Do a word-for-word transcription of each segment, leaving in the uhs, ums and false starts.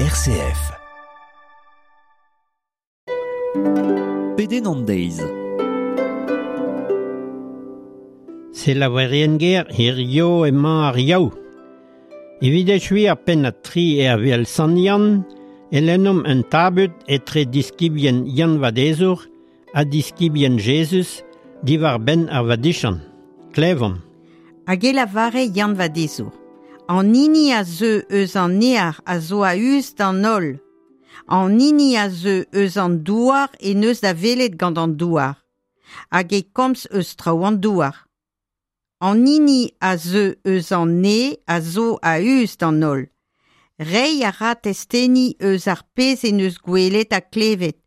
R C F. Pedenn an deiz. Selaouerien ger, hirio emañ ar Yaou. Evit echuiñ ar pennad tri e Aviel Sant Yann, e lennomp un tabut etre diskibien Yann Vadezour ha diskibien Jezuz diwar-benn ar vadiziant. Klevomp. Hag e lavare Yann Vadezour. An hini a zeu eus an neñv a zo a-us d'an holl. An hini a zeu eus an douar en deus da welet gant an douar. Hag e komz eus traoù an douar. An hini a zeu eus an neñv a zo a-us d'an holl. Reiñ a ra testeni eus ar pezh en deus gwelet ha klevet,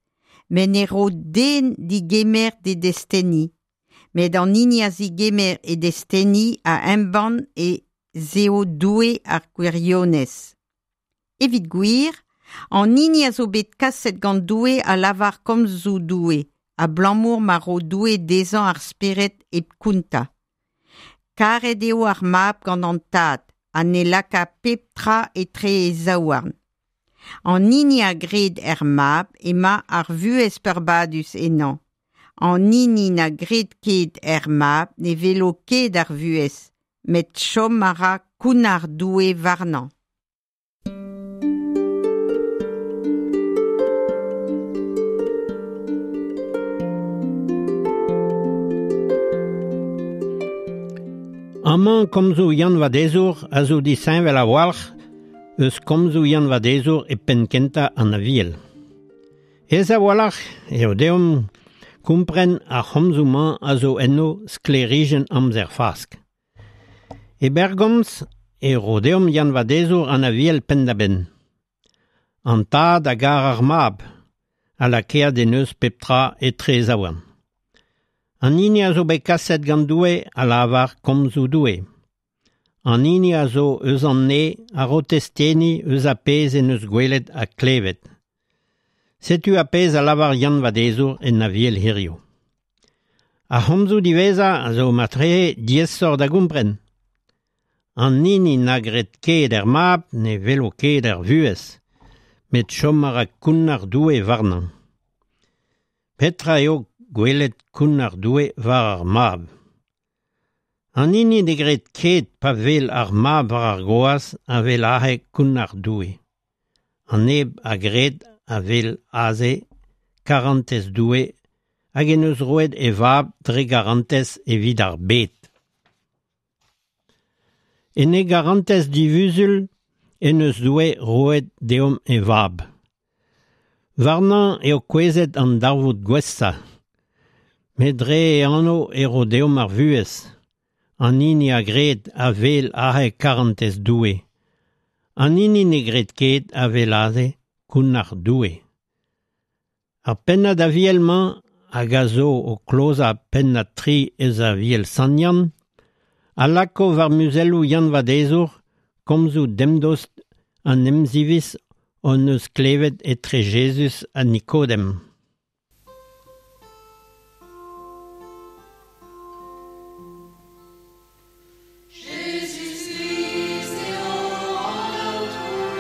met ne ro den digemer d'e desteni. Met an hini a zigemer e desteni a embann ez eo Doue ar gwirionez. Evit gwir, an hini a zo bet kaset gant Doue a lavar komzoù Doue, abalamour ma ro Doue dezhañ ar spered hep kontañ. Karet eo ar mab gant an tad, ha ne laka pep tra etre e zaouarn. An hini a gred er mab emañ ar vuhez peurbadus ennañ. An hini na gred ket er mab ne welo ket ar vuhez, met chom a ra kounnar Doue warnañ. Amañ komzoù Yann Vadezour a zo disheñvel a-walc'h eus komzoù Yann Vadezour e penn-kentañ an Aviel. Aes a-walc'h eo deomp kompren ar c'homzoù-mañ a zo enno sklêrijenn amzer Fask. E berr gomz e ro deomp Yann Vadezour an Aviel penn-da-benn. An tad a gar ar mab, ha lakaet en deus pep tra etre e zaouarn. An hini a zo bet kaset gant Doue a lavar komzoù Doue. An hini a zo eus an neñv a ro testeni eus ar pezh en deus gwelet ha klevet. Setu ar pezh a lavar Yann Vadezour en Aviel hirio. Ar c'homzoù diwezhañ a zo marteze diaesoc'h da gompren. An hini na gred ket er mab ne welo ket ar vuhez, met chom a ra kounnar Doue warnañ. Petra eo gwelet kounnar Doue war ar mab? An hini ne gred ket pa wel ar mab war ar groaz a wel aze kounnar Doue. An neb a gred a wel aze karantez Doue hag en deus roet e vab dre garantez evit ar bed. En e garantez divuzul en deus Doue roet deomp e vab. Warnañ eo kouezhet an darvoud gwashañ. Met dre e anv e ro deomp ar vuhez. An hini a gred a wel aze karantez Doue. An hini ne gred ket a wel aze kounnar Doue. Ar pennad Aviel-mañ hag a zo o klozañ pennad tri eus Aviel Sant Yann, a lako war muzelloù Yann Vadezour komzoù demdost an emziviz hon eus klevet etre Jezuz ha Nikodem. Jezuz-Krist eo an Aotrou,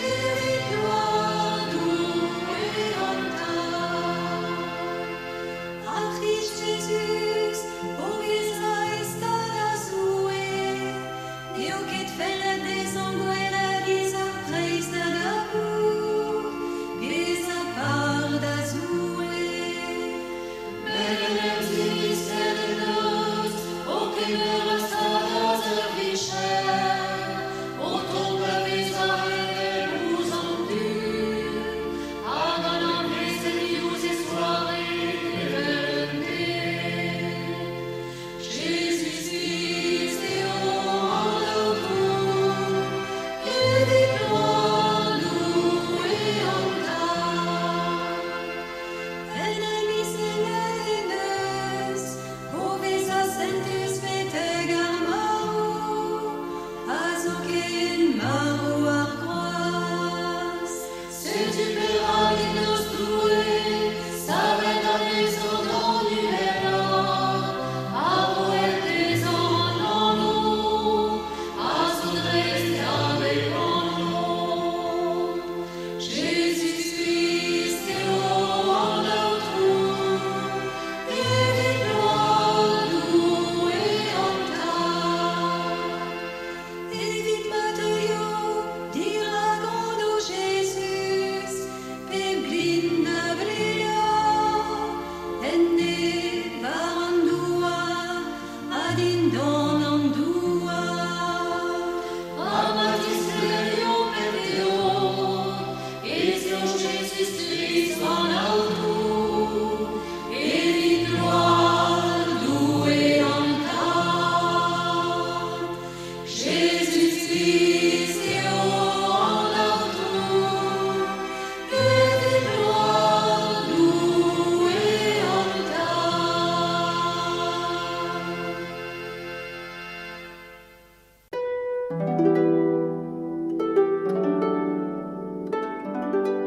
evit gloar Doue an Tad. Ar C'hrist Jezuz, o vezañ e stad a Zoue, n'eo ket fellet dezhañ gwelet giz ar preizh da gaout, bezañ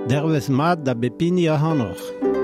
Dervez mat da bep hini ac'hanoc'h.